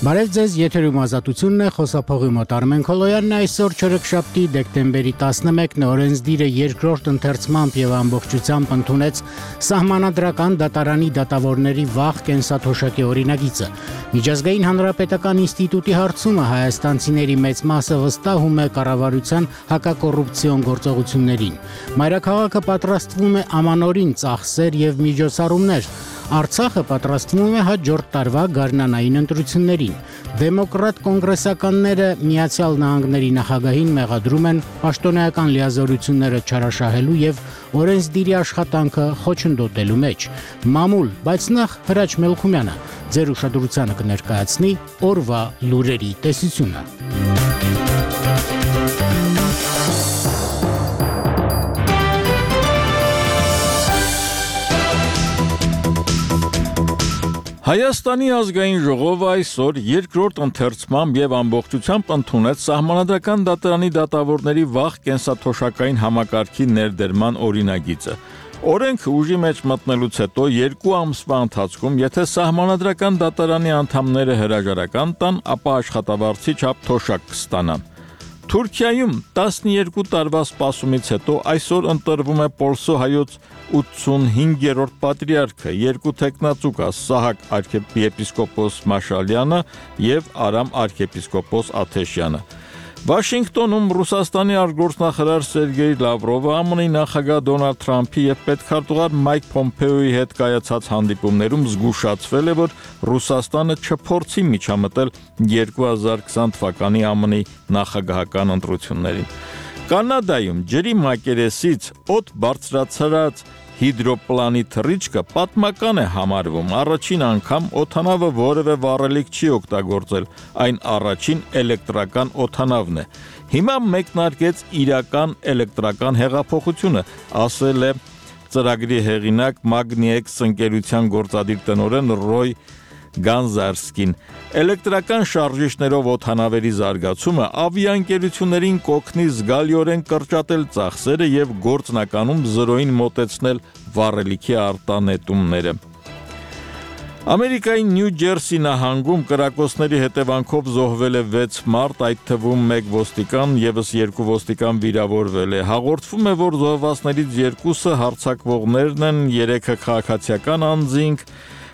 Բարև ձեզ, եթերում Ազատությունն է, խոսափողի մոտ Արմեն Քոլոյանն է, այսօր չորեքշաբթի դեկտեմբերի 11-ն օրենսդիրը երկրորդ ընթերցմամբ եւ ամբողջությամբ ընդունեց Սահմանադրական դատարանի դատավորների վաղ կենսաթոշակի օրինագիծը։ Միջազգային հանրապետական ինստիտուտի հարցումը հայաստանցիների մեծ մասը վստահում է կառավարության հակակոռուպցիոն գործողություններին։ Մայրաքաղաքը պատրաստվում է ամանորին ծախսեր եւ միջոցառումներ։ Արցախը պատրաստվում է հաջորդ տարվա գարնանային ընտրություններին։ Դեմոկրատ կոնգրեսականները Միացյալ Նահանգների նախագահին մեղադրում են պաշտոնեական լիազորությունները չարաշահելու եւ օրենսդիրի աշխատանքը խոչընդոտելու մեջ։ Մամուլ, բայց նախ Հրաչ Մելքումյանը ձեր ուշադրությանը կներկայացնի օրվա լուրերի տեսությունը։ Հայաստանի ազգային ժողովը այսօր երկրորդ ընթերցմամբ եւ ամբողջությամբ ընդունեց Սահմանադրական դատարանի դատավորների վաղ կենսաթոշակային համակարգի ներդրման օրինագիծը։ Օրենքը ուժի մեջ մտնելուց հետո 2 ամսվա ընթացքում, եթե Սահմանադրական դատարանի անդամները հրաժարական տան, ապա աշխատավարձի չափ թոշակ կստանան։ Թուրքիայում 12 տարվա սպասումից հետո այսօր ընտրվում է Պոլսո հայոց 85-րդ պատրիարքը, 2 թեկնածուկա Սահակ arczepiskopos Մաշալյանը եւ Արամ arczepiskopos Աթեշյանը։ Վաշինգտոնում Ռուսաստանի արտգործնախարար Սերգեյ Լավրովը ԱՄՆ-ի նախագահ Դոնալդ Թրամփի եւ պետքարտուղար Մայք Պոմպեոյի հետ կայացած հանդիպումներում զգուշացվել է, որ Ռուսաստանը չփորձի միջամտել 2020 թվականի ԱՄՆ-ի նախագահական ընտրություններին։ Կանադայում ջրի մակերեսից օդ բարձրացրած հիդրոպլանի թռիչքը պատմական է համարվում։ Առաջին անգամ օդանավը որևէ վառելիք չի օգտագործել, այն առաջին էլեկտրական օդանավն է։ Հիմա մեկնարկեց իրական էլեկտրական հեղափոխությունը, ասել է ծրագրի հեղինակ Magniex ընկերության գործադիր տնօրեն Ռոյ Գանզարսկին։ Էլեկտրական շարժիչներով օդանավերի զարգացումը ավիաընկերություններին կօգնի զգալիորեն կրճատել ծախսերը եւ գործնականում զրոյին մոտեցնել վառելիքի արտանետումները։ Ամերիկայի Նյու Ջերսի նահանգում կրակոցների հետևանքով զոհվել է 6 մարդ, այդ թվում 1 ոստիկան, եւս 2 ոստիկան վիրավորվել է։ Հաղորդվում է, որ զոհվածներից 2-ը հարձակվողներն են, 3-ը քաղաքացիական անձինք։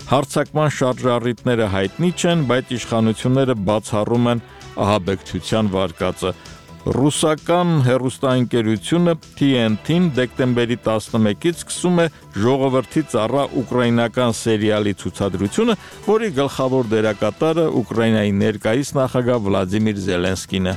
Հարձակման շարժառիթները հայտնի չեն, բայց իշխանությունները բացառում են ահաբեկչության վարկածը։ Ռուսական հեռուստաընկերությունը TNT-ն դեկտեմբերի 11-ից սկսում է ժողովրդի ծառա ուկրաինական սերիալի ցուցադրությունը, որի գլխավոր դերակատարը Ուկրաինայի ներկայիս նախագահ Վլադիմիր Զելենսկին է։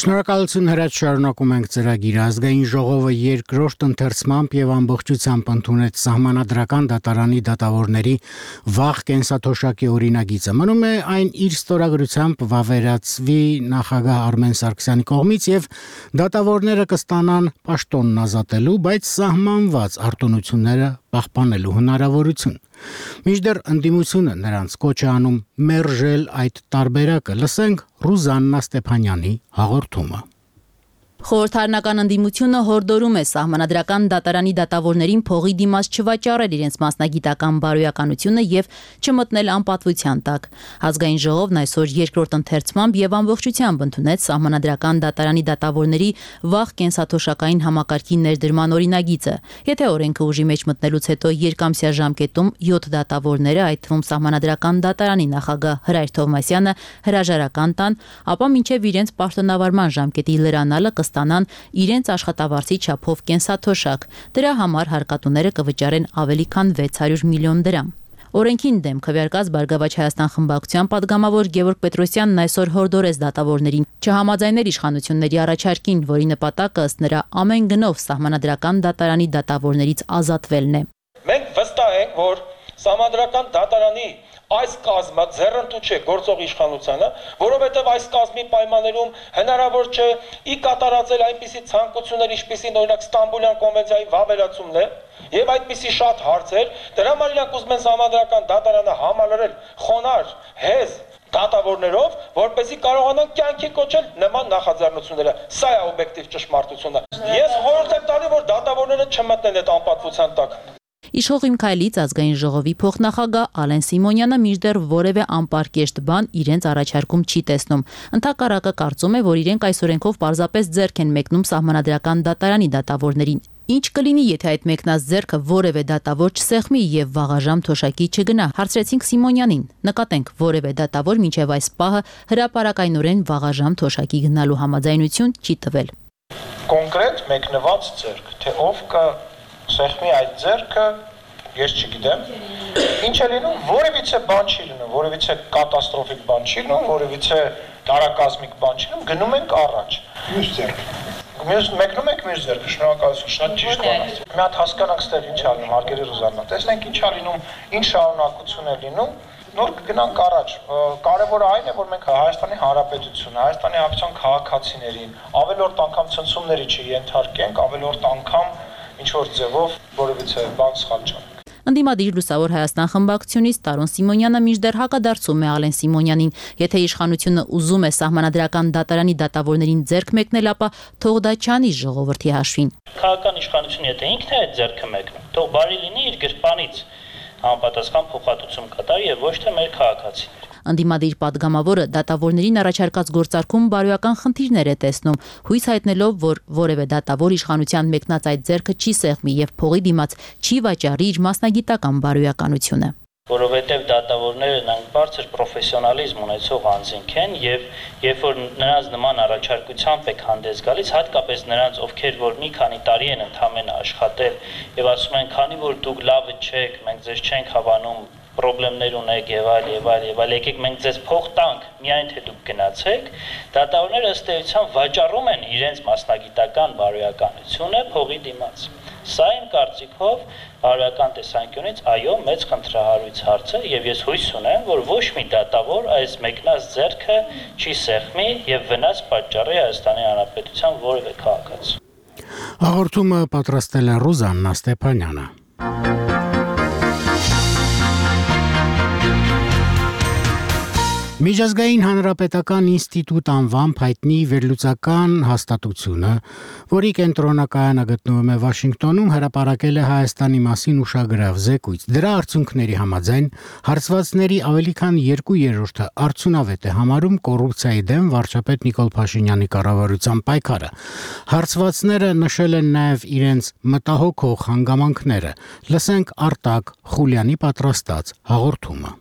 Շնորհակալություն Հրաչ, շարունակում ենք ծրագիրը։ Ազգային ժողովը երկրորդ ընթերցմամբ եւ ամբողջությամբ ընդունեց Սահմանադրական դատարանի դատավորների վաղ կենսաթոշակի օրինագիծը։ Մնում է այն իր ստորագրությամբ վավերացվի նախագահ Արմեն Սարգսյանի կողմից եւ դատավորները կստանան պաշտոնն ազատելու, բայց սահմանված արտոնությունները պահպանելու հնարավորություն։ Մինչդեռ ընդդիմությունը նրանց կոչ է անում մերժել այդ տարբերակը։ Լսենք Ռուզաննա Ստեփանյանի հաղորդումը։ Խորհրդարանական ընդդիմությունը հորդորում է Սահմանադրական դատարանի դատավորներին փողի դիմաց չվաճառել իրենց մասնագիտական բարոյականությունը եւ չմտնել անպատվության տակ։ Ազգային ժողովն այսօր երկրորդ ընթերցմամբ եւ ամբողջությամբ ընդունեց Սահմանադրական դատարանի դատավորների վաղ կենսաթոշակային համակարգի ներդրման օրինագիծը։ Եթե օրենքը ուժի մեջ մտնելուց հետո երկամսյա ժամկետում 7 դատավորները, այդ թվում Սահմանադրական դատարանի նախագահ Հրայր Թովմասյանը հրաժարական տան, ապա մինչեւ իրենց պաշտոնավարման ժամկետի լրանալը ստանան իրենց աշխատավարձի չափով կենսաթոշակ։ Դրա համար հարկատուները կվճարեն ավելի քան 600 միլիոն դրամ։ Օրենքին դեմ քվեարկած Բարգավաճ Հայաստան խմբակցության պատգամավոր Գևորգ Պետրոսյանն այսօր հորդորեց դատավորներին չհամաձայնել իշխանությունների առաջարկին, որի նպատակը ըստ նրա ամեն գնով Սահմանադրական դատարանի դատավորներից ազատվելն է։ Մենք վստահ ենք, որ Սահմանադրական դատարանի այս կազմը ձեռնտու չէ գործող իշխանությանը, որովհետև այս կազմի պայմաններում հնարավոր չէ ի կատարածել այնպիսի ցանկություններ, ինչպիսին օրինակ Ստամբուլյան կոնվենցիայի վավերացումն է, եւ այդպիսի շատ հարցեր, դրա համար իրանք ուզում են Սահմանադրական դատարանը համալրել խոնարհ, հեզ դատավորներով, որպեսզի կարողանան կյանքի կոչել նման նախաձեռնությունները։ Սա է օբյեկտիվ ճշմարտությունը։ Ես խորհուրդ եմ տալի, որ դատավորները չմտնեն այդ անպատվության տակ։ Իշխող Իմ Քայլից ազգային ժողովի փոխնախագահ Ալեն Սիմոնյանը մինչդեռ որևէ անպարկեշտ բան իրենց առաջարկում չի տեսնում։ Ընդհակառակը կարծում է, որ իրենք այս օրենքով պարզապես ձեռք են մեկնում Սահմանադրական դատարանի դատավորներին։ Ինչ կլինի, եթե այդ մեկնած ձեռքը որևէ դատավոր չսեղմի եւ վաղաժամ թոշակի չգնա։ Հարցրեցինք Սիմոնյանին։ Նկատենք, որևէ դատավոր մինչեւ այս պահը հրապարակայնորեն վաղաժամ թոշակի գնալու համաձայնություն չի տվել։ Կոնկրետ մեկնված ձեռք, թե ով կսեղմի այդ ձեռքը, ես չգիտեմ։ Ինչ է լինում, որևիցե բան չի լինում, որևիցե կատաստրոֆիկ բան չի լինում, որևիցե դարակազմիկ բան չի լինում, գնում ենք առաջ։ Մյուս ձեռք։ Մեկնում եք մյուս ձեռքը, շնորհակալություն, շատ ճիշտ բան։ Մի հատ հասկանանք ստեղ ինչ է լինում, հարգելի Ռուզաննա։ Տեսնենք ինչ է լինում, ինչ շարունակություն է լինում, նոր կգնանք առաջ։ Կարևորը այն է, որ մենք Հայաստանի Հանրապետությունը, Հայաստանի Հանրապետության քաղաքացիներին ավելորդ անգամ ցնցումների չենթարկենք, ավելորդ անգամ ինչ որ ձևով որևիցե բան սխալ չանենք։ Ընդդիմադիր Լուսավոր Հայաստան խմբակցությունից Տարոն Սիմոնյանը մինչդեռ հակադարձում է Ալեն Սիմոնյանին։ Եթե իշխանությունը ուզում է Սահմանադրական դատարանի դատավորներին ձեռք մեկնել, ապա թող դա չանի ժողովրդի հաշվին։ Քաղաքական իշխանությունը եթե ինքն է այդ ձեռքը մեկնում, թող բարի լինի իր գրպանից համապատասխան փոխհատուցում կատարի եւ ոչ թե մեր քաղաքացիները։ Ընդդիմադիր падգամավորը դատավորներին առաջարկած գործարքում բարոյական խնդիրներ է տեսնում, հույս հայտնելով, որ որևէ դատավոր իշխանության մեկնած այդ ձեռքը չի սեղմի եւ փողի դիմաց չի վաճառի իր մասնագիտական բարոյականությունը։ Որովհետև դատավորները նրանք բարձր պրոֆեսիոնալիզմ ունեցող անձինք են եւ երբ որ նրանց նման առաջարկությամբ եք հանդես գալիս, հատկապես նրանց, ովքեր որ մի քանի տարի են ընդամենը աշխատել եւ ասում են, քանի որ դուք լավը չեք, մենք ձեզ չենք հավանում, պրոբլեմներ ունեք եւ այլ, եկեք մենք ձեզ փող տանք, միայն թե դուք գնացեք, դատավորները ըստ էության վաճառում են իրենց մասնագիտական բարոյականությունը փողի դիմաց։ Սա իմ կարծիքով բարոյական տեսանկյունից այո մեծ խնդրահարույց հարց է եւ ես հույս ունեմ, որ ոչ մի դատավոր այս մեկնած ձեռքը չի սեղմի եւ վնաս պատճառի Հայաստանի Հանրապետության որևէ քաղաքացի։ Հաղորդումը պատրաստել է Ռուզաննա Ստեփանյանը։ Միջազգային հանրապետական ինստիտուտ անվամբ հայտնի վերլուծական հաստատությունը, որի կենտրոնակայանը գտնվում է Վաշինգտոնում, հրապարակել է Հայաստանի մասին ուշագրավ զեկույց։ Դրա արդյունքների համաձայն հարցվածների ավելի քան 2/3-ը արդյունավետ է համարում կոռուպցիայի դեմ վարչապետ Նիկոլ Փաշինյանի կառավարության պայքարը։ Հարցվածները նշել են նաև իրենց մտահոգող հանգամանքները։ Լսենք Արտակ Խուլյանի պատրաստած հաղորդումը։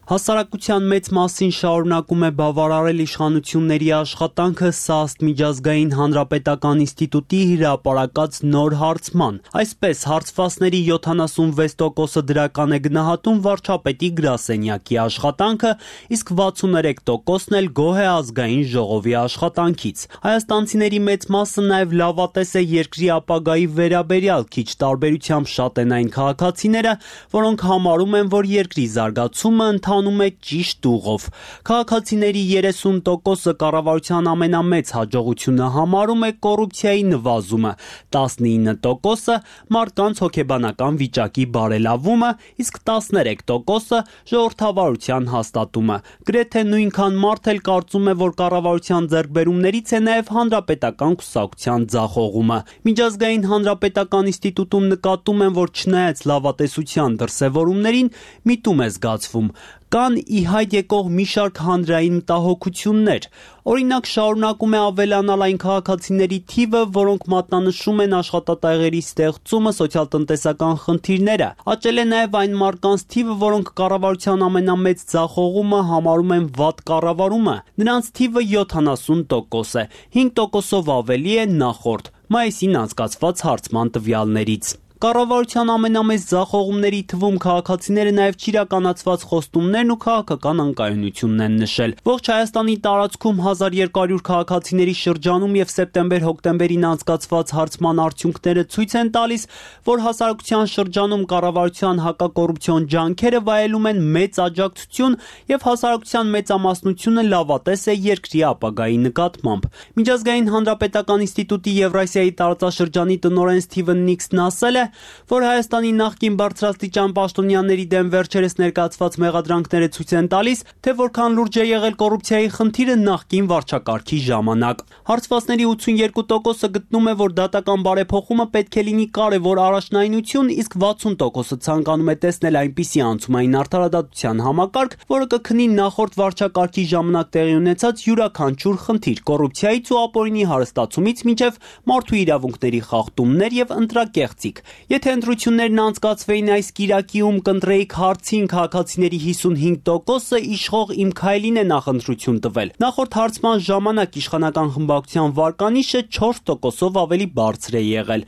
Հասարակության մեծ մասին շարունակում է բավարարել իշխանությունների աշխատանքը ՍԱՍՏ միջազգային հանրապետական ինստիտուտի հրապարակած նոր հարցման։ Այսպես, հարցվածների 76%-ը դրական է գնահատում վարչապետի գրասենյակի աշխատանքը, իսկ 63%-ն էլ գոհ է ազգային ժողովի աշխատանքից։ Հայաստանցիների մեծ մասը նաև լավատես է երկրի ապագայի վերաբերյալ, քիչ տարբերությամբ շատ են այն քաղաքացիները, որոնք համարում են, որ երկրի զարգացումը անում է ճիշտ ուղով։ Քաղաքացիների 30%-ը կառավարության ամենամեծ հաջողությունը համարում է կոռուպցիայի նվազումը, 19%-ը մարդկանց հոգեբանական վիճակի բարելավումը, իսկ 13%-ը ժողովրդավարության հաստատումը։ Գրեթե նույնքան մարդ էլ կարծում է, որ կառավարության ձեռքբերումներից է նաև հանրապետական կուսակցության ձախողումը։ Միջազգային հանրապետական ինստիտուտում նկատում են, որ չնայած լավատեսության դրսևորումներին, միտում է զգացվում։ Կան ի հայտ եկող մի շարք հանրային մտահոգություններ։ Օրինակ, շարունակում է ավելանալ այն քաղաքացիների թիվը, որոնք մատնանշում են աշխատատեղերի ստեղծումը, սոցիալ-տնտեսական խնդիրները։ Աճել է նաև այն մարդկանց թիվը, որոնք կառավարության ամենամեծ ձախողումը համարում են վատ կառավարումը։ Նրանց թիվը 70% է, 5%-ով ավելի է նախորդ մայիսին անցկացված հարցման տվյալներից։ Կառավարության ամենամեծ ձախողումների թվում քաղաքացիները նաև չիրականացված խոստումներն ու քաղաքական անկայունությունն են նշել։ Ողջ Հայաստանի տարածքում 1200 քաղաքացիների շրջանում եւ սեպտեմբեր-հոկտեմբերին անցկացված հարցման արդյունքները ցույց են տալիս, որ հասարակության շրջանում կառավարության հակակոռուպցիոն ջանքերը վայելում են մեծ աջակցություն եւ հասարակության մեծամասնությունը լավատես է երկրի ապագայի նկատմամբ։ Միջազգային հանրապետական ինստիտուտի Եվրասիայի տարածաշրջանի տնօրեն Սթիվեն Նիքսն ասել է, որ Հայաստանի նախկին բարձրաստիճան պաշտոնյաների դեմ վերջերս ներկայացված մեղադրանքները ցույց են տալիս, թե որքան լուրջ է եղել կոռուպցիայի խնդիրը նախկին վարչակարգի ժամանակ։ Հարցվածների 82%-ը գտնում է, որ դատական բարեփոխումը պետք է լինի կարևոր առաջնայնություն, իսկ 60%-ը ցանկանում է տեսնել այնպիսի անցումային արդարադատության համակարգ, որը կքնի նախորդ վարչակարգի ժամանակ տեղի ունեցած յուրաքանչյուր խնդիր՝ կոռուպցիայից ու ապօրինի հարստացումից մինչև մարդու իրավունքների խախտումներ եւ ընտրակեղծիք։ Եթե ընտրություններն անցկացվեին այս կիրակիում, կընտրեիք հարցին, քաղաքացիների 55%-ը իշխող Իմ Քայլին է նախընտրություն տվել։ Նախորդ հարցման ժամանակ իշխանական խմբակցության վարկանիշը 4%-ով ավելի բարձր է եղել։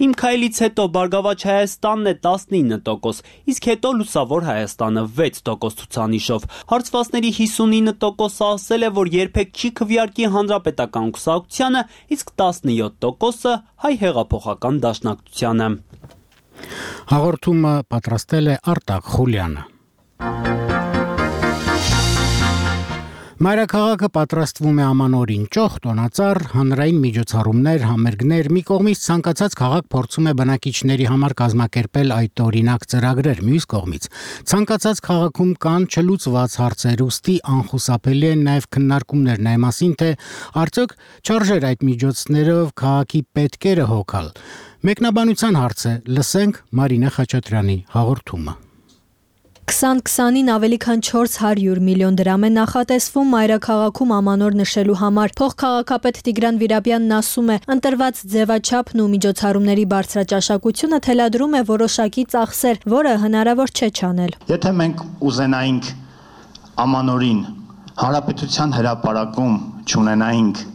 Իմ Քայլից հետո Բարգավաճ Հայաստանն է 19%, իսկ հետո Լուսավոր Հայաստանը 6% ցուցանիշով։ Հարցվածների 59%-ը ասել է, որ երբեք չի քվեարկի հանրապետական կուսակցությանը, իսկ 17%-ը Հայ հեղափոխական դաշնակցությանը։ Հաղորդումը պատրաստել է Արտակ Խուլյանը։ Մայրաքաղաքը պատրաստվում է ամանորին ճոխ, տոնածառ, հանրային միջոցառումներ, համերգներ, մի կողմից ցանկացած քաղաք փորձում է բնակիչների համար կազմակերպել այդ օրինակ ծրագրեր, մյուս կողմից ցանկացած քաղաքում կան չլուծված հարցեր, ուստի անխուսափելի են նաև քննարկումներն այն մասին, թե արդյոք չարժեր այդ միջոցներով քաղաքի պետքերը հոգալ։ Մեկնաբանության հարց է, լսենք Մարինե Խաչատրյանի հաղորդումը։ 2020-ին ավելի քան 400 միլիոն դրամ է նախատեսվում մայրաքաղաքում ամանոր նշելու համար։ Փոխքաղաքապետ Տիգրան Վիրաբյանն ասում է, ընտրված ձևաչափն ու միջոցառումների բարձրաճաշակությունը թելադրում է որոշակի ծախսեր, որը հնարավոր չէ չանել։ Եթե մենք ուզենայինք ամանորին հանրապետության հրապարակում չունենայինք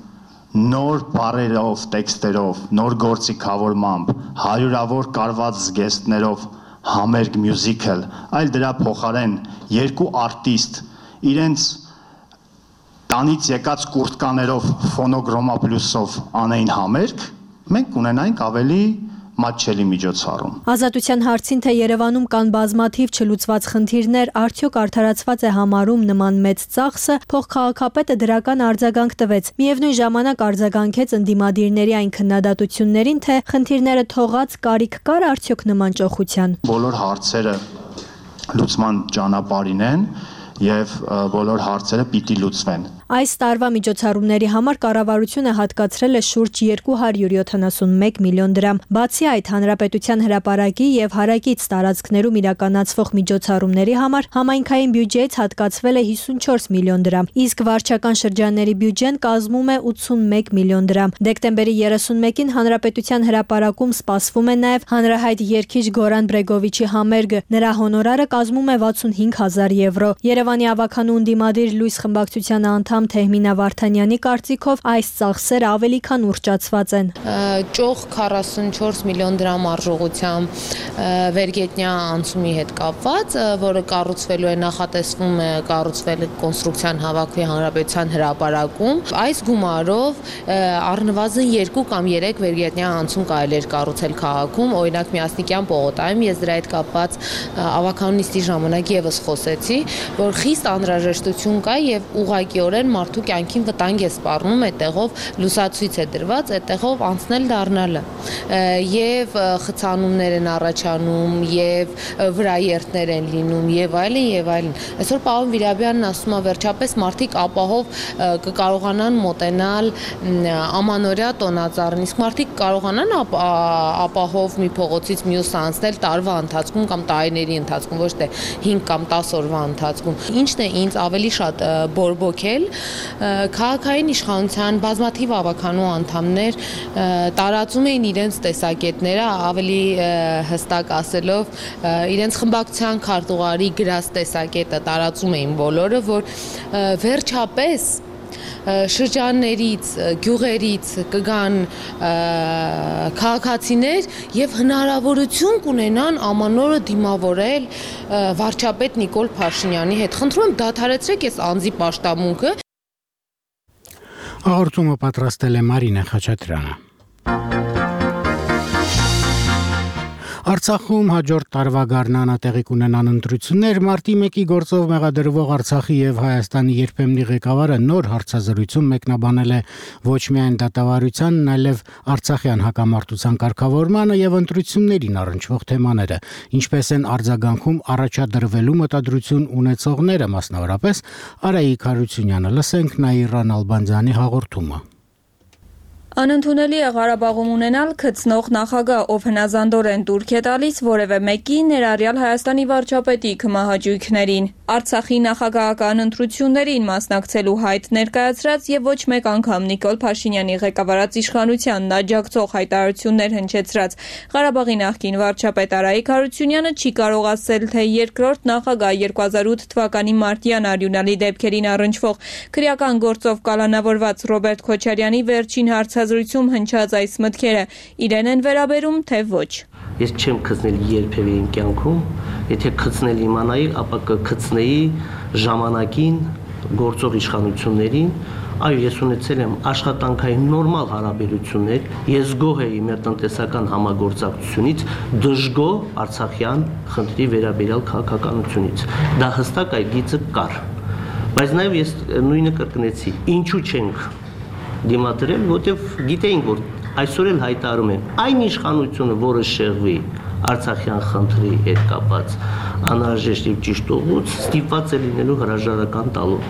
նոր բառերով, տեքստերով, նոր գործիքավորմամբ, հարյուրավոր կարված զգեստներով համերգ մյուզիկլ, այլ դրա փոխարեն երկու արտիստ իրենց տանից եկած կուրտկաներով ֆոնոգրոմա պլյուսով անեին համերգ, մենք ունենայինք ավելի մատչելի միջոցառում։ Ազատության հարցին, թե Երևանում կան բազմաթիվ չլուծված խնդիրներ, արդյոք արդարացված է համարում նման մեծ ծախսը, փոխքաղաքապետը դրական արձագանք տվեց։ Միևնույն ժամանակ արձագանքեց ընդդիմադիրների այն քննադատություններին, թե խնդիրները թողած կարիք կար արդյոք նման ճոխության։ Բոլոր հարցերը լուծման ճանապարհին են եւ բոլոր հարցերը պիտի լուծվեն։ Այս տարվա միջոցառումների համար կառավարությունը հատկացրել է շուրջ 271 միլիոն դրամ։ Բացի այդ, հանրապետության հրապարակի եւ հարակից տարածքներում իրականացվող միջոցառումների համար համայնքային բյուջեից հատկացվել է 54 միլիոն դրամ, իսկ վարչական շրջանների բյուջեն կազմում է 81 միլիոն դրամ։ Դեկտեմբերի 31-ին հանրապետության հրապարակում սպասվում է նաեւ հանրահայտ երգիչ Գորան Բրեգովիչի համերգը։ Նրա հոնորարը կազմում է 65000 եվրո։ Երևանի ավականու ընդդիմադիր լույս խմբակցության անդամ Թեհմինա Վարդանյանի կարծիքով այս ծախսերը ավելի քան ուռճացված են։ Ճոխ 44 միլիոն դրամ արժողությամբ վերգետնյա անցումի հետ կապված, որը կառուցվելու է, նախատեսվում է կառուցվել կոնստրուկցիան հավաքվի հանրապետության հրապարակում։ Այս գումարով առնվազն 2 կամ 3 վերգետնյա անցում կարելի է կառուցել քաղաքում, օրինակ Միասնիկյան պողոտայում ես դրա հետ կապված ավականու նիստի ժամանակ եւս խոսեցի, որ խիստ անհրաժեշտություն կա եւ ուղղակիորեն մարդու կյանքին վտանգ է սպառնում, այդտեղով լուսացույց է դրված, այդտեղով անցնել դառնալը եւ խցանումներ են առաջանում եւ վրաերթներ են լինում եւ այլն եւ այլն։ Այսօր պարոն Վիրաբյանն ասում է վերջապես մարդիկ ապահով կկարողանան մոտենալ ամանորյա տոնածառին, իսկ մարդիկ կարողանան ապահով մի փողոցից մյուս անցնել տարվա ընթացքում կամ տարիների ընթացքում, ոչ թե 5 կամ 10 օրվա ընթացքում։ Ինչն է ինձ ավելի շատ բորբոքել, քաղաքային իշխանության բազմաթիվ ավականու անդամներ տարածում էին իրենց տեսակետները, ավելի հստակ ասելով, իրենց խմբակցության քարտուղարի գրած տեսակետը տարածում էին բոլորը, որ վերջապես շրջաններից, գյուղերից կգան քաղաքացիներ եւ հնարավորություն կունենան ամանորը դիմավորել վարչապետ Նիկոլ Փաշինյանի հետ։ Խնդրում եմ դադարեցրեք այս անձի պաշտամունքը։ Հաղորդումը պատրաստել է Մարինա Խաչատրյանը։ Արցախում հաջորդ տարվա գարնանը տեղի կունենան ընտրություններ, մարտի 1-ի գործով մեղադրվող Արցախի եւ Հայաստանի երբեմնի ղեկավարը նոր հարցազրույցում մեկնաբանել է ոչ միայն դատավարության, այլև արցախյան հակամարտության կարգավորմանը եւ ընտրություններին առնչվող թեմաները, ինչպես են արձագանքում առաջադրվելու մտադրություն ունեցողները, մասնավորապես Արայիկ Հարությունյանը։ Լսենք Նաիրան Ալբանդյանի հաղորդումը։ Անընդունելի է Ղարաբաղում ունենալ գծնող նախագահ, ով հնազանդորեն դուրք է տալիս որևէ մեկի, ներառյալ Հայաստանի վարչապետի քմահաճույքներին։ Արցախի նախագահական ընտրություններին մասնակցելու հայտ ներկայացրած եւ ոչ մեկ անգամ Նիկոլ Փաշինյանի ղեկավարած իշխանությանն աջակցող հայտարարություններ հնչեցրած Ղարաբաղի նախկին վարչապետ Արայիկ Հարությունյանը չի կարող ասել, թե երկրորդ նախագահ 2008 թվականի մարտյան արյունալի դեպքերին առնչվող քրեական գործով կալանավորված Ռոբերտ Քոչարյանի վերջին հարցազրույցում հնչած այս մտքերը իրեն են վերաբերում, թե ոչ։ Ես չեմ գտնել երբևէ իմ կյանքում, եթե գտնել իմանայի, ապա կգտնեի ժամանակին գործող իշխանություններին, այո, ես ունեցել եմ աշխատանքային նորմալ հարաբերություններ, ես գոհ էի մեր տնտեսական համագործակցությունից, դժգոհ արցախյան խնդրի վերաբերյալ քաղաքականությունից։ Դա հստակ այդ գիծը կար։ Բայց նաև ես նույնը կրկնեցի, ինչու չենք դիմադրել, որտեղ գիտեինք, որ այսօր էլ հայտարարում են այն իշխանությունը, որը շեղվի Արցախյան խնդրի հետ կապված անհրաժեշտ եւ ճիշտ ուղուց, ստիպված է լինելու հրաժարական տալու։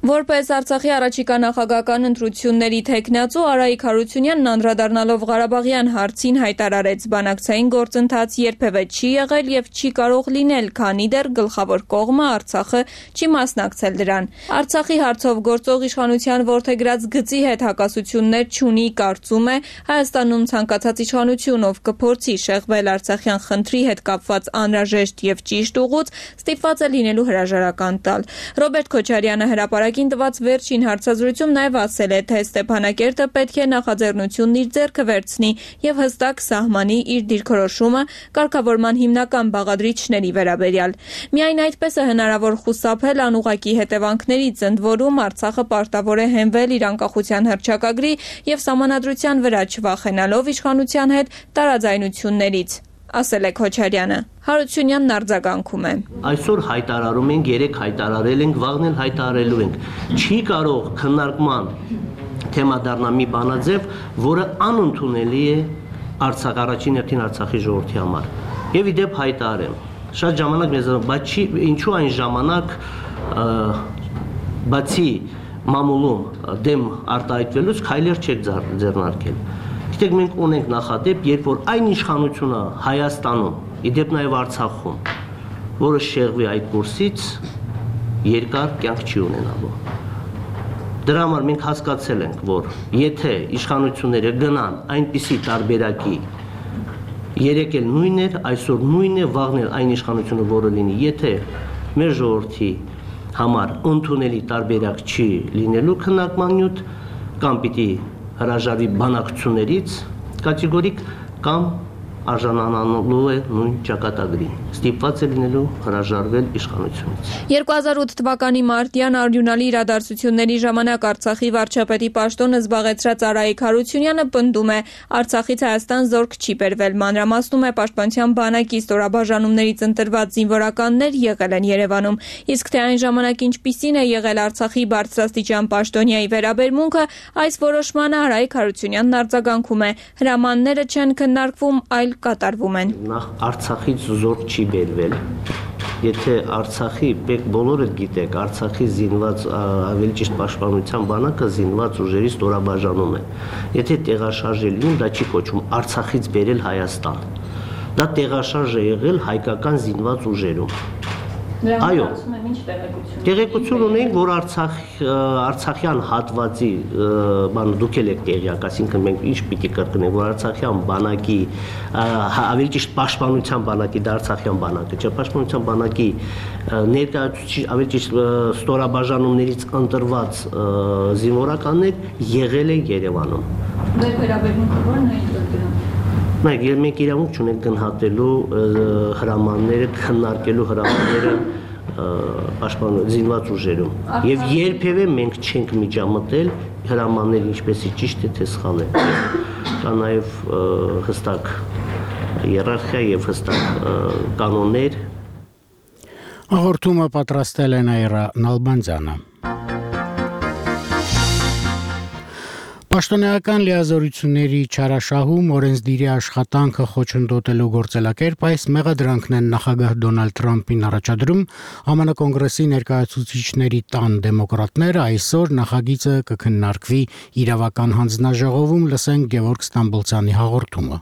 Որպես Արցախի առաջիկա նախագահական ընտրությունների թեկնածու Արայիկ Հարությունյանն անդրադառնալով Ղարաբաղյան հարցին հայտարարեց, բանակցային գործընթաց երբևէ չի եղել եւ չի կարող լինել, քանի դեռ գլխավոր կողմը Արցախը չի մասնակցել դրան։ Արցախի հարցով գործող իշխանության որդեգրած գծի հետ հակասություններ չունի, կարծում է, Հայաստանում ցանկացած իշխանություն, ով կփորձի շեղվել Արցախյան խնդրի հետ կապված անհրաժեշտ եւ ճիշտ ուղուց, ստիպված է լինելու հրաժարական տալ։ Ռոբերտ Քոչարյանը հրապարակին տված վերջին հարցազրույցում նաև ասել է, թե Ստեփանակերտը պետք է նախաձեռնությունն իր ձեռքը վերցնի եւ հստակ սահմանի իր դիրքորոշումը կարգավորման հիմնական բաղադրիչների վերաբերյալ։ Միայն այդպես է հնարավոր խուսափել անուղղակի հետևանքներից, ընդ որում Արցախը պարտավոր է հենվել իր անկախության հռչակագրի եւ սահմանադրության վրա, չվախենալով իշխանության հետ տարաձայնություններից, ասել է Քոչարյանը։ Հարությունյանն արձագանքում է։ Այսօր հայտարարում ենք, երեք հայտարարել ենք, վաղն էլ հայտարարելու ենք։ Չի կարող քննարկման թեմա դառնալ մի բանաձև, որը անընդունելի է Արցախ առաջին հերթին Արցախի ժողովրդի համար։ Եվ ի դեպ հայտարարեմ։ Շատ ժամանակ մեզ, բայց ինչու այն ժամանակ բացի մամուլում դեմ արտահայտվելուց քայլեր չեք ձեռնարկել։ Գիտեք, մենք ունենք նախադեպ, երբ որ այն իշխանությունը Հայաստանում, իդեպ նաև Արցախում, որը շեղվի այդ կուրսից, երկար կյանք չի ունենալու։ Դրա համար մենք հասկացել ենք, որ եթե իշխանությունները գնան այնպիսի տարբերակի, երեք էլ նույնն էր, այսօր նույնն է, վաղն էլ այն իշխանությունը, որը լինի, եթե մեր ժողովրդի համար ընդունելի տարբերակ չի լինելու քննարկման նյութ, կամ պիտի հրաժարվի բանակցություններից կատեգորիկ կամ արժանանալու է նույն ճակատագրին, ստիպված է լինելու հրաժարվել իշխանությունից։ 2008 թվականի մարտյան արյունալի իրադարձությունների ժամանակ Արցախի վարչապետի պաշտոնը զբաղեցրած Արայիկ Հարությունյանը պնդում է, Արցախից Հայաստան զորք չի բերվել, մանրամասնում է Պաշտպանության բանակի ստորաբաժանումներից ընտրված զինվորականներ եղել են Երևանում, իսկ թե այն ժամանակ ինչպիսին է եղել Արցախի բարձրաստիճան պաշտոնյայի վերաբերմունքը, այս որոշմանը Արայիկ Հարությունյանն արձագանքում է, հրամանները չեն քննարկվում, այլ կատարվում են։ Նախ Արցախից զորք չի բերվել։ Եթե Արցախի, բոլորը գիտեք, Արցախի զինված, ավելի ճիշտ պաշտպանության բանակը զինված ուժերի ստորաբաժանում է։ Եթե տեղաշարժ լինում, դա չի կոչվում Արցախից բերել Հայաստան։ Դա տեղաշարժ է եղել հայկական զինված ուժերում։ Այո, տեղեկություն ունենք, որ Արցախյան հատվածի բան դուք եք տեղյակ, այսինքն մենք ինչ պիտի կրկնենք, որ Արցախյան բանակի ավելի ճիշտ պաշտպանության բանակի դա Արցախյան բանակը, չէ, պաշտպանության բանակի ներկայացուցիչ ավելի ճիշտ ստորաբաժանումներից ընտրված զինվորականներ եղել են Երևանում։ Դեր վերաբերմունքը ո՞րն է դրան։ Մենք իրավունք չունենք գնահատելու հրամանները, քննարկելու հրամանները զինված ուժերում։ Եվ երբևէ մենք չենք միջամտել հրամանները ինչպեսի ճիշտ է թե սխալ է։ Կա նաև հստակ հիերարխիա եւ հստակ կանոններ։ Հաղորդումը պատրաստել է Նաիրա Նալբանդյանը։ Պաշտոնեական լիազորությունների չարաշահում օրենսդիրի աշխատանքը խոչընդոտելու գործելակերպ այս մեղադրանքն են նախագահ Դոնալդ Թրամփին առաջադրում ԱՄՆ կոնգրեսի ներկայացուցիչների տան դեմոկրատները այսօր նախագիծը կքննարկվի իրավական հանձնաժողովում լսենք Գևորգ Ստամբոլցյանի հաղորդումը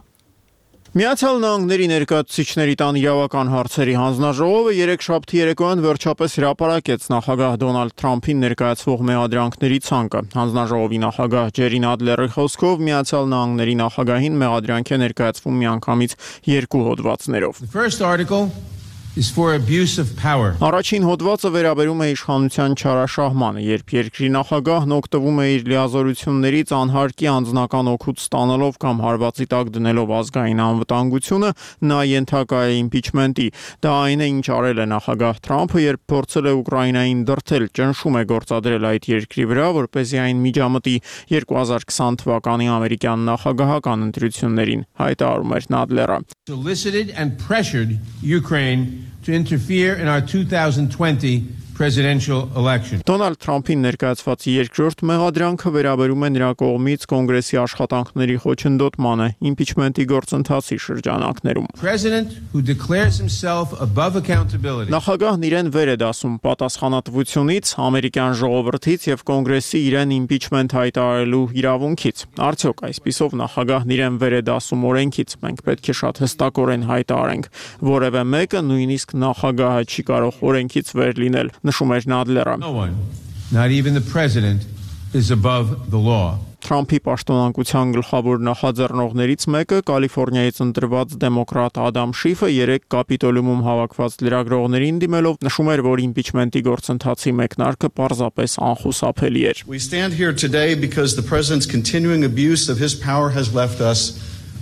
Միացյալ Նահանգների ներկայացուցիչների տան իրավական հարցերի հանձնաժողովը երեքշաբթի երեկոյան վերջապես հրապարակեց նախագահ Դոնալդ Թրամփին ներկայացվող մեղադրանքների ցանկը։ Հանձնաժողովի նախագահ Ջերի Նադլերի խոսքով Միացյալ Նահանգների նախագահին մեղադրանք է ներկայացվում միանգամից 2 հոդվածներով։ Առաջին հոդվածը վերաբերում է իշխանության չարաշահմանը, երբ երկրի նախագահն օգտվում է իր լիազորություններից անհարկի անձնական օգուտ ստանալով կամ հարվածի տակ դնելով ազգային անվտանգությունը, նա ենթակա է իմպիչմենտի։ Դա այն է, ինչ արել է նախագահ Թրամփը, երբ փորձել է Ուկրաինային դրդել, ճնշում է գործադրել այդ երկրի վրա, որպեսզի այն միջամտի 2020 թվականի ամերիկյան նախագահական ընտրություններին, հայտարարում էր Նադլերը։ To interfere in our 2020 presidential election. Դոնալդ Թրամփին ներկայացված երկրորդ մեղադրանքը վերաբերում է նրա կողմից կոնգրեսի աշխատանքների խոչընդոտմանը իմպիչմենտի գործընթացի շրջանակներում։ Նախագահն իրեն վեր է դասում պատասխանատվությունից, ամերիկյան ժողովրդից եւ կոնգրեսի իրեն իմպիչմենտ հայտարարելու իրավունքից։ Արդյոք այսպիսով նախագահն իրեն վեր է դասում օրենքից։ Մենք պետք է շատ հստակորեն հայտարարենք, որևէ մեկը նույնիսկ նախագահը չի կարող օրենքից վեր լինել։ Նշում էր Նադլերը։ Not even the president is above the law. Թրամփի պաշտոնանկության գլխավոր նախաձեռնողներից մեկը Կալիֆոռնիայից ընտրված դեմոկրատ Ադամ Շիֆը երեկ Կապիտոլիումում հավաքված լրագրողներին դիմելով նշում էր, որ իմպիչմենտի գործընթացի մեկնարկը պարզապես անխուսափելի էր։ We stand here today because the president's continuing abuse of his power has left us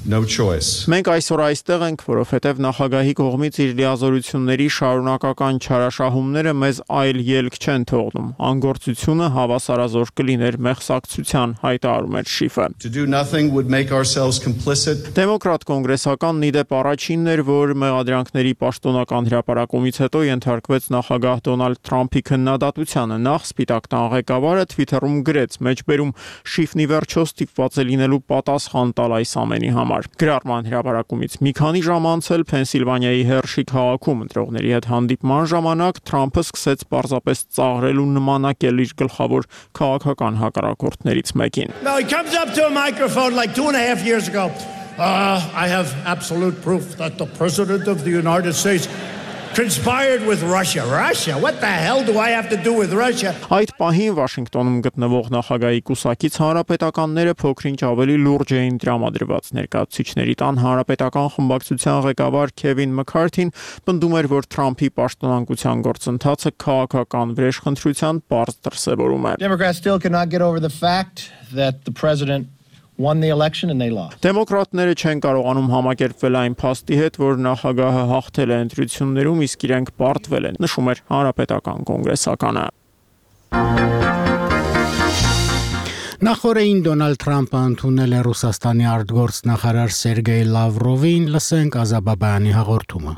no choice. Մենք այսօր այստեղ ենք, որովհետև նախագահի կողմից իր լիազորությունների շարունակական չարաշահումները մեզ այլ ելք չեն թողնում։ Անգործությունը հավասարազոր կլիներ մեղսակցության, հայտարարում էր Շիֆը։ To do nothing would make ourselves complicit. Դեմոկրատ կոնգրեսականն ի դեպ առաջինն էր, որ մեղադրանքների պաշտոնական հրապարակումից հետո ենթարկվեց նախագահ Դոնալդ Թրամփի քննադատությանը։ Նախ Սպիտակ տան ղեկավարը Twitter-ում գրեց. մեջբերում Շիֆն ի վերջո ստիպված է լինելու պատասխան տալ այս ամենի համար։ Գրառման հրապարակումից մի քանի ժամ անցել Փենսիլվանիայի Հերշի քաղաքում ընտրողների հետ հանդիպման ժամանակ Թրամփը սկսեց պարզապես ծաղրել ու նմանակել իր գլխավոր քաղաքական հակառակորդներից մեկին։ Now he comes up to a microphone like 2.5 years ago. I have absolute proof that the president of the United States conspired with Russia. Russia? What the hell do I have to do with Russia? Այդ պահին Վաշինգտոնում գտնվող նախագահի կուսակից հանրապետականները փոքրինչ ավելի լուրջ էին տրամադրված։ Ներկայացուցիչների տան հանրապետական խմբակցության ղեկավար Քևին Մքարթին պնդում էր, որ Թրամփի պաշտոնանկության գործընթացը քաղաքական վրեժխնդրության պարզ դրսևորում է։ Democrats still cannot get over the fact that the president won the election and they lost. Դեմոկրատները չեն կարողանում համակերպվել այն փաստի հետ, որ նախագահը հաղթել է ընտրություններում, իսկ իրենք պարտվել են, նշում էր հանրապետական կոնգրեսականը։ Նախորդին Դոնալդ Թրամփը ընդունել է Ռուսաստանի արտգործնախարար Սերգեյ Լավրովին, լսենք Ազաբաբայանի հաղորդումը։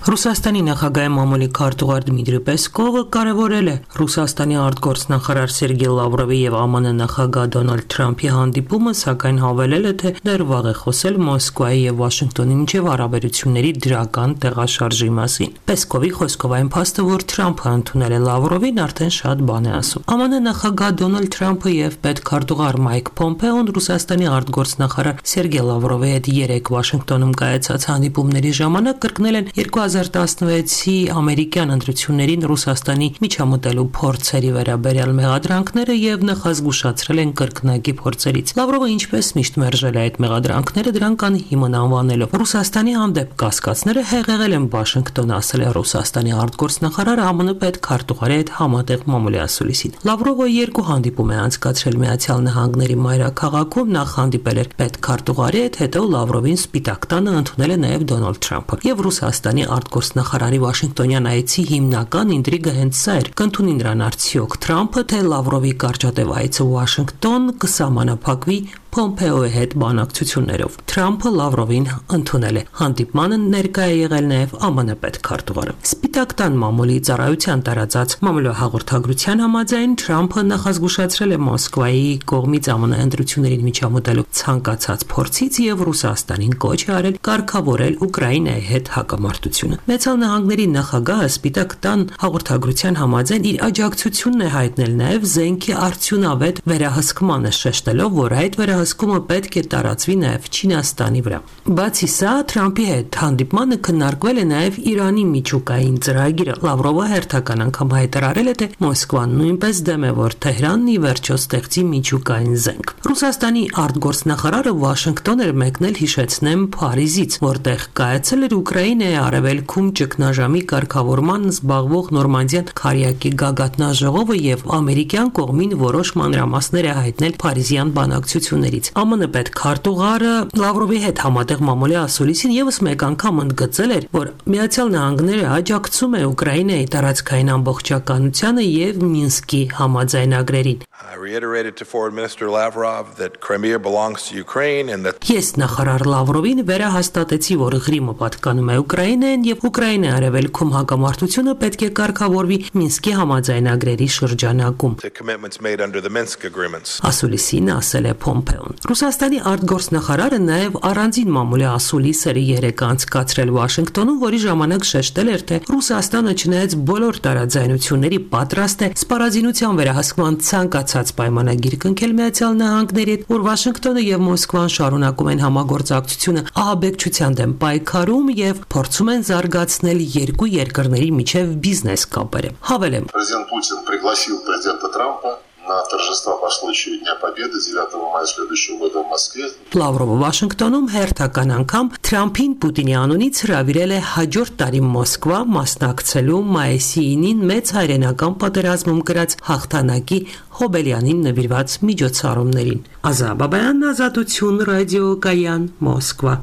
Ռուսաստանի նախագահի մամուլի քարտուղար Դմիտրի Պեսկովը կարևորել է Ռուսաստանի արտգործնախարար Սերգեյ Լավրովի եւ ԱՄՆ նախագահ Դոնալդ Թրամփի հանդիպումը, սակայն հավելել է, թե դեռ վաղ է խոսել Մոսկվայի եւ Վաշինգտոնի միջև հարաբերությունների դրական տեղաշարժի մասին։ Պեսկովի խոսքով այն փաստը, որ Թրամփը ընդունել է Լավրովին, արդեն շատ բան է ասում։ ԱՄՆ նախագահ Դոնալդ Թրամփը եւ պետքարտուղար Մայք Պոմպեոն Ռուսաստանի արտգործնախարար Սերգեյ Լավրովի հետ երեկ Վաշինգտոնում կայացած հանդիպումների ժամանակ կրկնել են 2016-ի ամերիկյան ընտրություններին Ռուսաստանի միջամտելու փորձերի վերաբերյալ մեղադրանքները եւ նախազգուշացրել են կրկնակի փորձերից։ Լավրովը ինչպես միշտ մերժել է այդ մեղադրանքները, դրանք անհիմն անվանելով։ Ռուսաստանի հանդեպ կասկածները հեղեղել են Վաշինգտոնը, ասել է Ռուսաստանի արտգործնախարար ԱՄՆ պետքարտուղարի հետ համատեղ մամուլի ասուլիսին։ Լավրովը երկու հանդիպում է անցկացրել Միացյալ Նահանգների մայրաքաղաքում, նախ հանդիպել էր պետքարտուղարի հետ, հետո Լավրովին Սպիտակ տանը ընդունել է նաև Դոնալդ Թրամփը։ Եվ Ռուսաստանի արտգործնախարարի Վաշինգտոնյան այցի հիմնական ինտրիգը հենց սա էր. կընդունի նրան արդյոք Թրամփը, թե Լավրովի կարճատև այցը Վաշինգտոն կսահմանափակվի Պոմպեոյի հետ բանակցություններով։ Թրամփը Լավրովին ընդունել է։ Հանդիպմանը ներկայ է եղել նաև ԱՄՆ պետքարտուղարը։ Սպիտակ տան մամուլի ծառայության տարածած մամուլահաղորդագրության համաձայն Թրամփը նախազգուշացրել է Մոսկվայի կողմից ԱՄՆ ընտրություններին միջամտելու ցանկացած փորձից եւ Ռուսաստանին կոչ է արել կարգավորել Ուկրաինայի հետ հակամարտությունը։ Մեծալ Նահանգների նախագահը Սպիտակ տան հաղորդագրության համաձայն իր աջակցությունն է հայտնել նաև զենքի արդյունավետ վերահսկմանը, շեշտելով, որ այդ վերահսկումը պետք է տարածվի նաև Չինաստանի վրա։ Բացի սա, Թրամփի հետ հանդիպմանը քննարկվել է նաև Իրանի միջուկային ծրագիրը։ Լավրովը հերթական անգամ հայտարարել է, թե Մոսկվան նույնպես դեմ է, որ Թեհրանն ի վերջո ստեղծի միջուկային զենք։ Ռուսաստանի արտգործնախարարը Վաշինգտոն էր մեկնել, հիշեցնեմ, Փարիզից, որտեղ կայացել էր Ուկրաինայի արևելքում ճգնաժամի կարգավորման զբաղվող Նորմանդիան քարյակի գագաթնաժողովը եւ ամերիկյան կողմին որոշ մանրամասներ է հայտնել Փարիզյան բանակցություններից։ ԱՄՆ պետքարտուղարը Լավրովի հետ համատեղ մամուլի ասուլիսին եւս մեկ անգամ ընդգծել էր, որ Միացյալ Նահանգները աջակցում է Ուկրաինայի տարածքային ամբողջականությանը եւ Մինսկի համաձայնագրերին։ I reiterated to Foreign Minister Lavrov that Crimea belongs to Ukraine and that Ես նախարար Լավրովին վերահաստատեցի, որ Ղրիմը պատկանում է Ուկրաինային եւ Ուկրաինայի արևելքում հակամարտությունը պետք է կարգավորվի Մինսկի համաձայնագրերի շրջանակում։ the commitments made under the Minsk agreements. Ասուլիսին ասել է Պոմպեոն։ Ռուսաստանի արտգործնախարարը նաև առանձին մամուլի ասուլիս էր երեկ անցկացրել Վաշինգտոնում, որի ժամանակ շեշտել էր, թե Ռուսաստանը չնայած բոլոր տարաձայնությունների պատրաստ է սպառազինության վերահսկման ցանկացած պայմանագիր կնքել Միացյալ Նահանգների հետ, որ Վաշինգտոնը եւ Մոսկվան շարունակում են համագործակցությունը ահաբեկչության դեմ պայքարում եւ փորձում են զարգացնել երկու երկրների միջև բիզնես կապերը։ Հավելեմ. Президент Путин пригласил президента Трампа на торжества по случаю Дня Победы 9 мая следующего года в Москве. Լավրովը Վաշինգտոնում հերթական անգամ Թրամփին Պուտինի անունից հրավիրել է հաջորդ տարի Մոսկվա մասնակցելու մայիսի 9-ին մեծ հայրենական պատերազմում կրած հաղթանակի Հոբելյանին նվիրված միջոցառումներին։ Ազա Բաբայան, Ազատություն, ռադիո Կայան, Մոսկվա։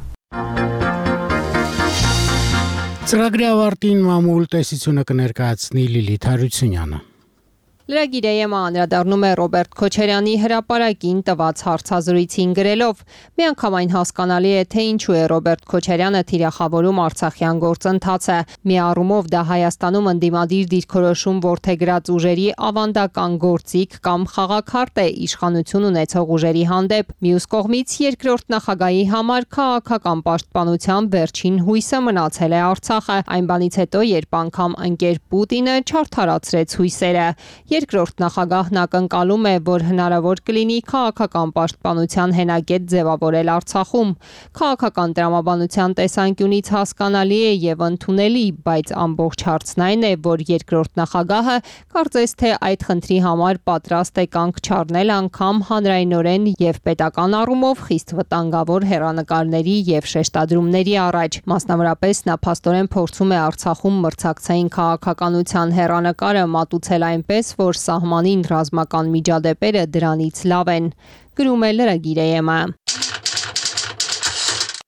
Ծրագրի ավարտին մամուլ տեսությունը կներկայացնի Լիլիթ Հարությունյանը։ Լրագիրը անդրադառնում է Ռոբերտ Քոչարյանի հրապարակին տված հարցազրույցին գրելով. «Միանգամայն հասկանալի է, թե ինչու է Ռոբերտ Քոչարյանը թիրախավորում Արցախյան գործընթացը։ Մի առումով դա Հայաստանում ընդդիմադիր դիրքորոշում որդեգրած ուժերի ավանդական գործիք կամ խաղաքարտ է իշխանություն ունեցող ուժերի հանդեպ։ Մյուս կողմից երկրորդ նախագահի համար քաղաքական պաշտպանության վերջին հույսը մնացել է Արցախը, այն բանից հետո, երբ անգամ ընկեր Պուտինը չարդարացրեց հույսերը։ Երկրորդ նախագահն ակնկալում է, որ հնարավոր կլինի քաղաքական պաշտպանության հենակետ ձևավորել Արցախում։ Քաղաքական տրամաբանության տեսանկյունից հասկանալի է եւ ընդունելի, բայց ամբողջ հարցն այն է, որ երկրորդ նախագահը կարծես թե այդ խնդրի համար պատրաստ է կանգ չառնել անգամ հանրայնորեն եւ պետական առումով խիստ վտանգավոր հեռանկարների եւ շեշտադրումների առաջ։ Մասնավորապես նա փաստորեն փորձում է Արցախում մրցակցային քաղաքականության հեռանկարը մատուցել այնպես, որ սահմանին ռազմական միջադեպերը դրանից լավ են, գրում է լրագիրը։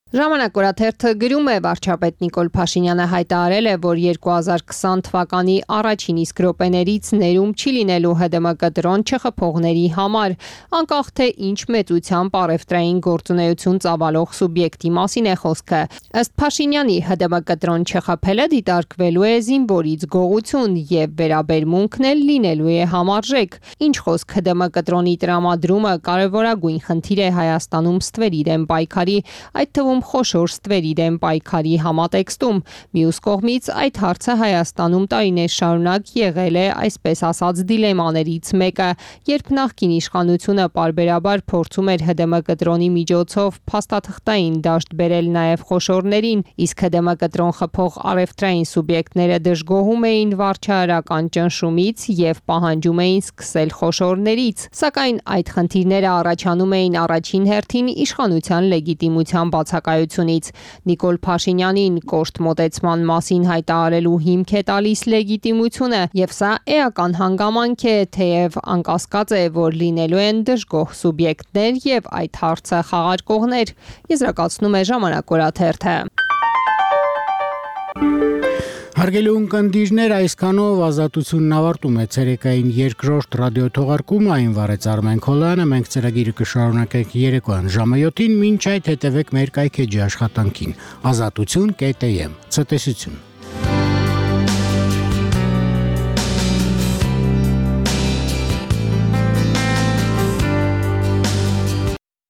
Ժամանակ օրաթերթը գրում է. վարչապետ Նիկոլ Փաշինյանը հայտարարել է, որ 2020 թվականի առաջին իսկ րոպեներից ներում չի լինելու ՀԴՄԿ դրոն չխփողների համար, անկախ թե ինչ մեծությամբ առևտրային գործունեություն ծավալող սուբյեկտի մասին է խոսքը։ Ըստ Փաշինյանի, ՀԴՄԿ դրոն չխփելը դիտարկվելու է զինվորից գողություն եւ վերաբերմունքն էլ լինելու է համարժեք։ Ինչ խոսք, ՀԴՄԿ դրոնի տրամադրումը կարևորագույն խնդիր է Հայաստանում ստվերի դեմ պայքարի, այդ թվում Հայաստանում խոշոր ստվերի դեմ պայքարի համատեքստում։ Մյուս կողմից այդ հարցը Հայաստանում տարիներ շարունակ եղել է այսպես ասած դիլեմաներից մեկը, երբ նախկին իշխանությունը պարբերաբար փորձում էր ՀԴՄ կտրոնի միջոցով փաստաթղթային դաշտ բերել նաև խոշորներին, իսկ ՀԴՄ կտրոն խփող առևտրային սուբյեկտները դժգոհում էին վարչահարական ճնշումից եւ պահանջում էին սկսել խոշորներից, սակայն այդ խնդիրները առաջանում էին առաջին հերթին իշխանության լեգիտիմության բացակայությունից։ Նիկոլ Փաշինյանին կոշտ մոտեցման մասին հայտարարելու հիմք է տալիս լեգիտիմությունը, եւ սա էական հանգամանք է, թեև անկասկած է, որ լինելու են դժգոհ սուբյեկտներ եւ այդ հարցը խաղարկողներ, եզրակացնում է Ժամանակ օրաթերթը։ Հարգելի ունկնդիրներ, այսքանով ազատությունն ավարտում է ցերեկային երկրորդ ռադիոթողարկումը, այն վարեց Արմեն Քոլյանը, մենք ծրագիրը կշարունակենք երեկոյան ժամը 7-ին, մինչ այդ հետևեք մեր կայքեջի աշխատանքին, azatutun.am, ցտեսություն։